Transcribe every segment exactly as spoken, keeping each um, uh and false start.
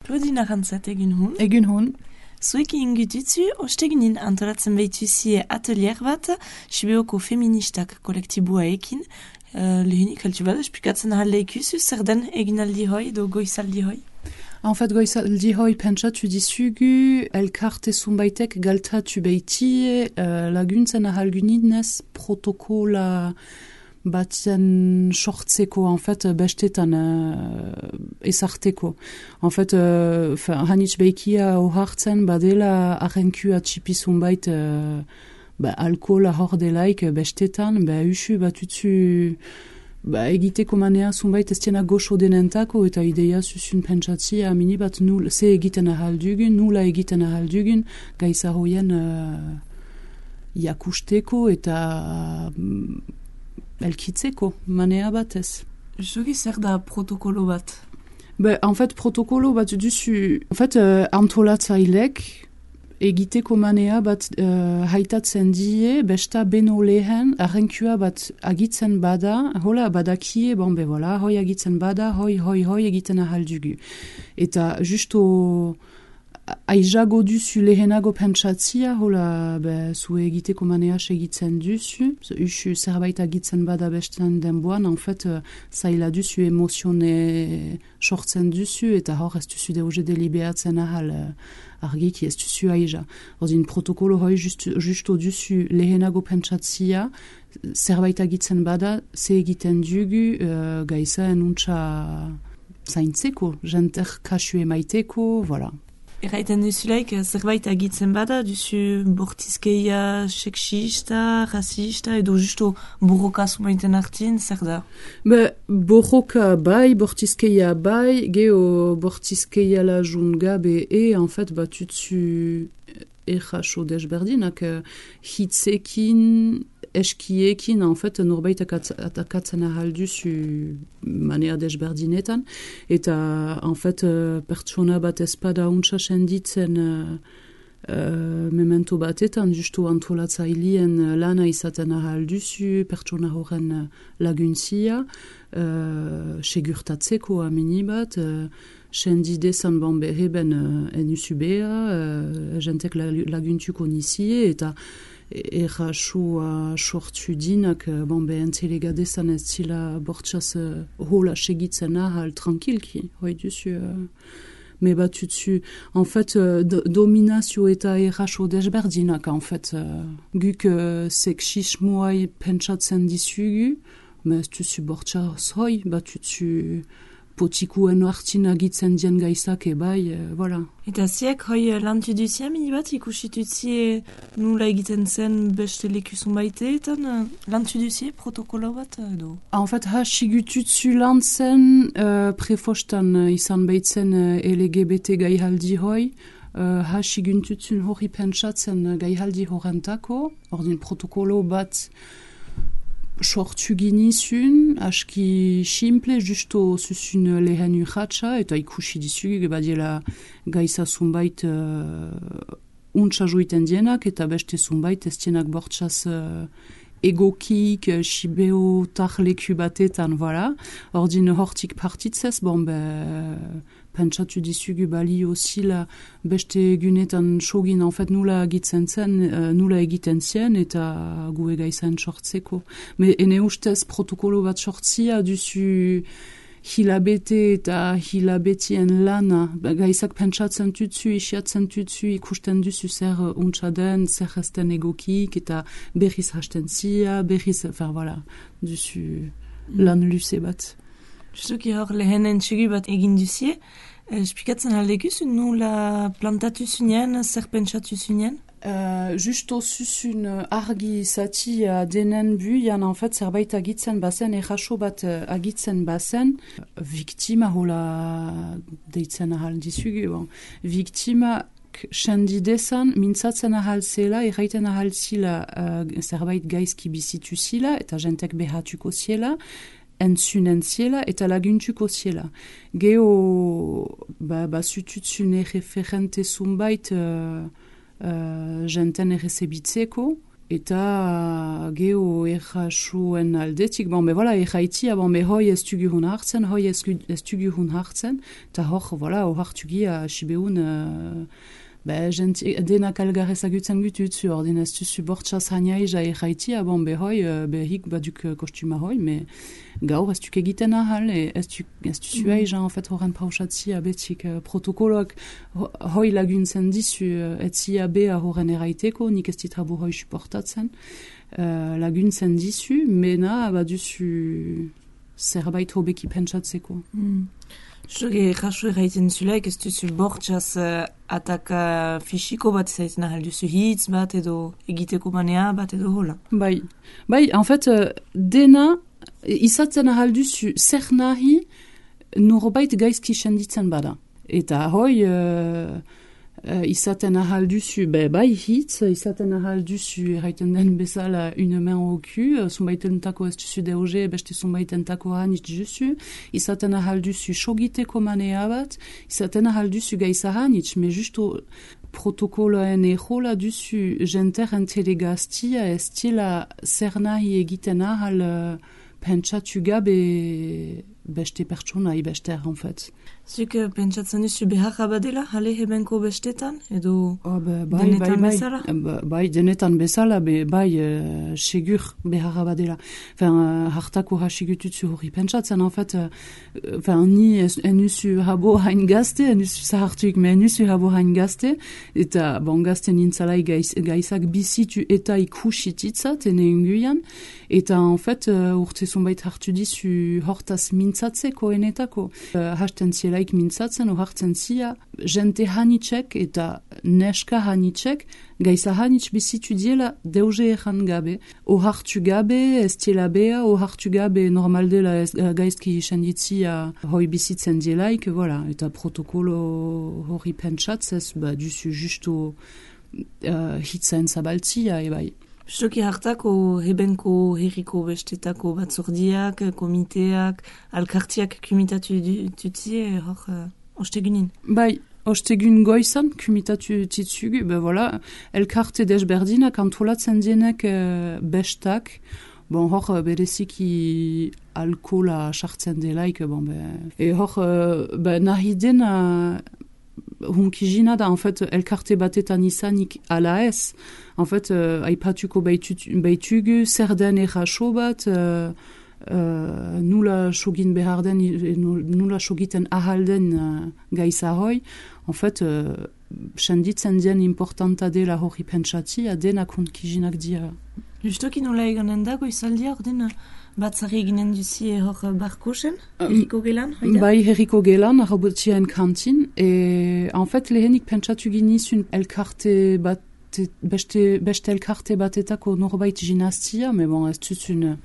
Claudine Arantzat egin hun. Egin hun. Zuek ingututzu, ostegunin antolatzen behituzie atelier bat, Sibeoko feministak kolektibua ekin, uh, lehenik heltu bada, espikatzen ahal ikusu, zer den eginaldi hoi, do goizaldi hoi? En fait, goizaldi hoi pentsatu dizugu, elkarte zumbaitek galtatu behiti, uh, laguntzen ahalguninez protokola batzen sortzeko, en fait, bestetan uh, ezarteko. En fait, uh, hanitz behikia ohartzen badela arrenkua txipi zumbait uh, ba, alkohola hor delaik bestetan, ba, usu batutzu ba, egiteko manea zumbait ez tiena goxo denentako eta ideia zuzun pentsatzia amini bat nul, ze egiten ahaldugun, nula egiten ahaldugun, gaiza hoien uh, jakusteko eta uh, elkitzeko manea batez. Jogi zer da protokolo bat? Be, en fait, protokolo bat duzu, en fait, uh, antolatzailek egiteko manea bat uh, haitatzen die, besta beno lehen, arrenkua bat agitzen bada, hola badakie, bon be voilà, hoi agitzen bada, hoi, hoi, hoi egiten ahaldugu. Eta justo aizago duzu lehenago pentsatzia, hola be, zue egiteko manea segitzen duzu, usu zerbait agitzen bada bestan denboan, en fait, uh, zaila duzu emozione sortzen duzu, eta hor ez duzu deuze deliberatzen ahal, uh, argiki ez duzu aiza. Ordin protokolo hoi just, justo duzu lehenago pentsatzia, zerbait agitzen bada, ze egiten dugu, uh, gaiza enuntza zaintzeko, jenter kasu emaiteko, voilà. Erraiten duzulaik, zerbait agitzen bada, duzu bortizkeia seksista, rasista, edo justo borroka zumaiten hartin, zer da? Be, borroka bai, bortizkeia bai, geho bortizkeia la jungabe e, en fait, batutzu erraso desberdinak, hitzekin, eskiekin, en fait, norbait atakatzen ahalduzu manea desberdinetan, eta, en fait, pertsona bat espada untsa senditzen uh, uh, memento batetan, justu antolatzailien lana izaten ahalduzu, pertsona horren laguntzia, uh, segurtatzeko amini bat, uh, sendidezan bon beheben uh, enusubea, uh, jentek laguntuko nizie, eta errasua sortu dinak, bon, behen telegadezan ez zila bortxaz uh, hola segitzen ahal tranquilki, hoi duzu, uh, me batutzu, en fait, uh, do, dominazio eta erraso desberdinak, en fait, uh, guk uh, seksismoai pentsatzen dizugu, me ez duzu bortxaz hoi, batutzu potikuen hartin agitzen dien gaizak ebai, e, voilà. Eta ziek, hoi lantu duzia mini bat ikusitutzie nula egiten zen beste lekuzun baiteetan, lantu duzie protokolo bat edo? En fait, ha sigututzu lantzen uh, prefostan uh, izan baitzen uh, L G B T gaihaldi hoi, uh, ha siguntutsun hori pentsatzen uh, gaihaldi horrentako, ordin protokolo bat sortu ginizun, aski simple, justo zuzun lehen urratxa, eta ikusi dizugu, badiela gaiza zunbait uh, untsa joiten dienak, eta beste zunbait ez dienak bortxaz uh, egokik, uh, xibeo tarleku batetan, voilà. Ordin hortik partitzez, bon, be, pentsatu dizugu bali osila beste egunetan sogin, en fait, nula egitzen zen, uh, nula egiten zien, eta gu egaizan sortzeko. Me ene ustez protokolo bat sortzia duzu hilabete eta hilabetien lana, gaizak pentsatzen tutzu, isiatzen tutzu, ikusten duzu zer untsa den, zer ezten egokik, eta berriz hasten zia, berriz, enfin, voilà, duzu lan luze bat. Justuki hor lehen entxegi bat egin duzie, espikatzen aldekuzu nula plantatu zunien, zer pentsatu zunien? Uh, justo zuzun argi zatia denen buian, en fait, zerbait agitzen bazen, erraso bat agitzen bazen, viktima hola deitzen ahal dizugu, bon. Viktima sendidezan, mintzatzen ahal zela, erraiten ahal zila uh, zerbait gaizki bizitu zila, eta jentek behatuko ziela, entzunen ziela eta laguntuko ziela. Geho, ba, ba zututzune referente zunbait uh, uh, jenten errezebitzeko, Eta geho errasoen aldetik, bon, be, voilà, erraitia, bon, be, hoi ez tugu hun hartzen, hoi ez, ez tugu hun hartzen, eta hor, voilà, hor hartugia, sibeun, uh, be, genti, denak algar ezagutzen gututzu, ordin ez tuzu bortxaz haniaija erraitia, bon, be, hoi, be, hik baduk kostuma hoi, me, gaur ez tuk egiten ahal, e, ez tuzu mm. aiza, en fait, horren pausatzia betik uh, protokoloak hoi laguntzen dizu, uh, etzia bea horren erraiteko, nik ez ditrabu hoi suportatzen, uh, laguntzen dizu, mena baduzu zerbait hobeki pentsatzeko. Mm. Zuge jasu erraiten zulaik, ez duzu bortxaz uh, ataka fisiko bat zaiten ahal duzu hitz bat edo egiteko manea bat edo hola. Bai, bai, en fait, uh, dena izatzen ahal duzu zer nahi norbait gaizki senditzen bada. Eta hoi uh, uh, izaten ahal duzu, be, bai hitz, izaten ahal duzu erraiten den bezala une main au cul, zunbaitentako ez duzu deoge, beste zunbaitentako hanitz duzu, izaten ahal duzu sogiteko manea bat, izaten ahal duzu gaiza hanitz, me justo protokoloen ejola duzu jenteren telegaztia ez tila zer nahi egiten ahal uh, pentsatu gabe beste pertsonai bester, en fait. Zuk pentsatzen duzu beharra badela, jale hebenko bestetan, edo oh, be, bai, denetan bai, bezala? Bai, bai, denetan bezala, be, bai, uh, segur beharra badela. Enfin, uh, hartako hasigututzu hori pentsatzen, en fait, uh, enfin, ni enuzu habo hain gazte, enuzu zahartuik, me enuzu habo hain gazte, eta bon, gazte nintzalai gaiz, gaizak bizitu eta ikusititzat, ene unguian, eta, en fait, uh, urte zonbait hartu dizu hortaz mintzatzeko enetako. Uh, hasten zielaik mintzatzen, ohartzen zia, jente hanitxek eta neska hanitxek, gaiza hanitx bizitu diela deuge ejan gabe. Ohartu gabe, ez diela bea, ohartu gabe normaldela ez, uh, gaizki senditzia hoi bizitzen dielaik, voilà. Eta protokolo hori pentsatzez, ba, duzu justo uh, hitzaen zabaltzia, ebai. Stoki hartako hebenko herriko bestetako batzordiak, komiteak, alkartiak kumitatu tutzie hor uh, ostegunin. Bai, ostegun goizan kumitatu titzugu, be voilà, elkarte desberdinak antolatzen dienek uh, bestak, bon hor bereziki alkola sartzen delaik, bon be, e hor uh, be, nahi dena hunkijina da, en fait, elkarte batetan izanik ala ez. En fait, uh, aipatuko baitugu, zer den erraso bat, uh, uh, nula sogin behar den, nula sogiten ahal den uh, gaiza hoi. En fait, uh, senditzen dien importanta dela hori pentsatzia, denak hunkijinak dira. Justoki nola eganen dago izaldia, ordena batzari eginen duzie hor barkosen, herriko gelan? Haida? Bai, herriko gelan, arrobotien kantin, e en fait, lehenik pentsatu ginizun elkarte bat, beste, beste elkarte batetako norbait ginastia, me bon, ez tuzun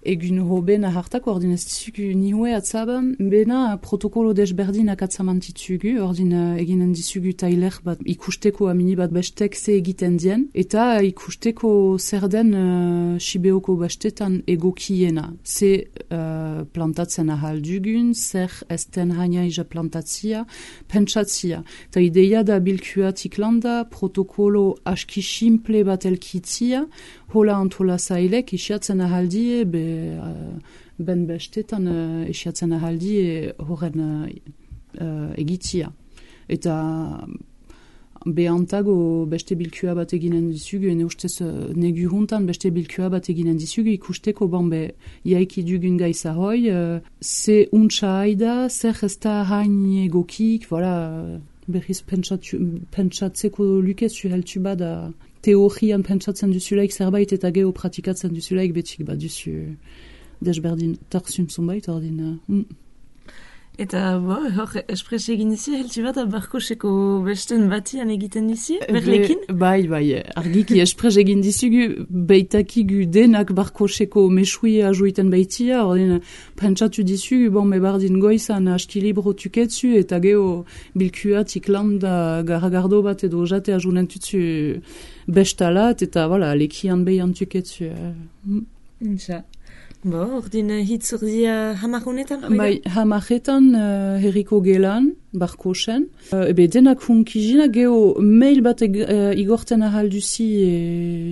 egun hobena hartako, ordin ez dizugu nihue atzaban, bena protokolo desberdinak atzamantitzugu, ordin eginen dizugu tailer bat ikusteko amini bat bestek ze egiten dien, eta ikusteko zer den uh, sibeoko bestetan egokiena. Ze uh, plantatzen ahal dugun, zer esten haniaija plantatzia, pentsatzia. Ta ideia da bilkuatik landa, protokolo aski simple bat elkitzia, hola antola zailek isiatzen ahaldie, be, uh, ben bestetan uh, isiatzen ahaldie horren uh, uh, egitzia. Eta behantago beste bilkua bat eginen dizugu, ene ustez uh, negu juntan beste bilkua bat eginen dizugu, ikusteko banbe iaiki dugun gaiza hoi, uh, ze untsa haida, zer ez da hain egokik, voilà, berriz pentsatzeko lukezu heltu bada, teorian pentsatzen duzulaik zerbait eta geho pratikatzen duzulaik betik bat duzu desberdin tarzun zonbait ordin. Mm. Eta, bo, hor, espres egin dizi, heltu bat barkoseko besten batian egiten dizi, berlekin? Be, bai, bai, argiki espres egin dizugu, beitakigu denak barkoseko mesuia ajoiten baitia, ordin, pentsatu dizugu, bon, me bardin goizan aski libro tuketzu, eta geho bilkuatik landa garagardo bat edo jate ajunen tutzu bestalat, eta, voilà, lekian behian tuketzu. Insa. Bo, ordin uh, hitz urdia hamarunetan? Bai, hamaretan uh, herriko gelan, barkosen. Uh, ebe denak hunkizina, geho mail bat eg, uh, igorten ahalduzi e,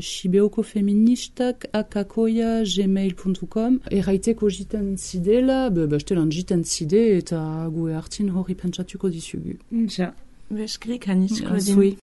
sibeoko feministak akakoia gmail puntu com. Erraiteko jiten zidela, be, bestelan jiten zide eta gue hartin hori pentsatuko dizugu. Ja, beskrik hanitsko din.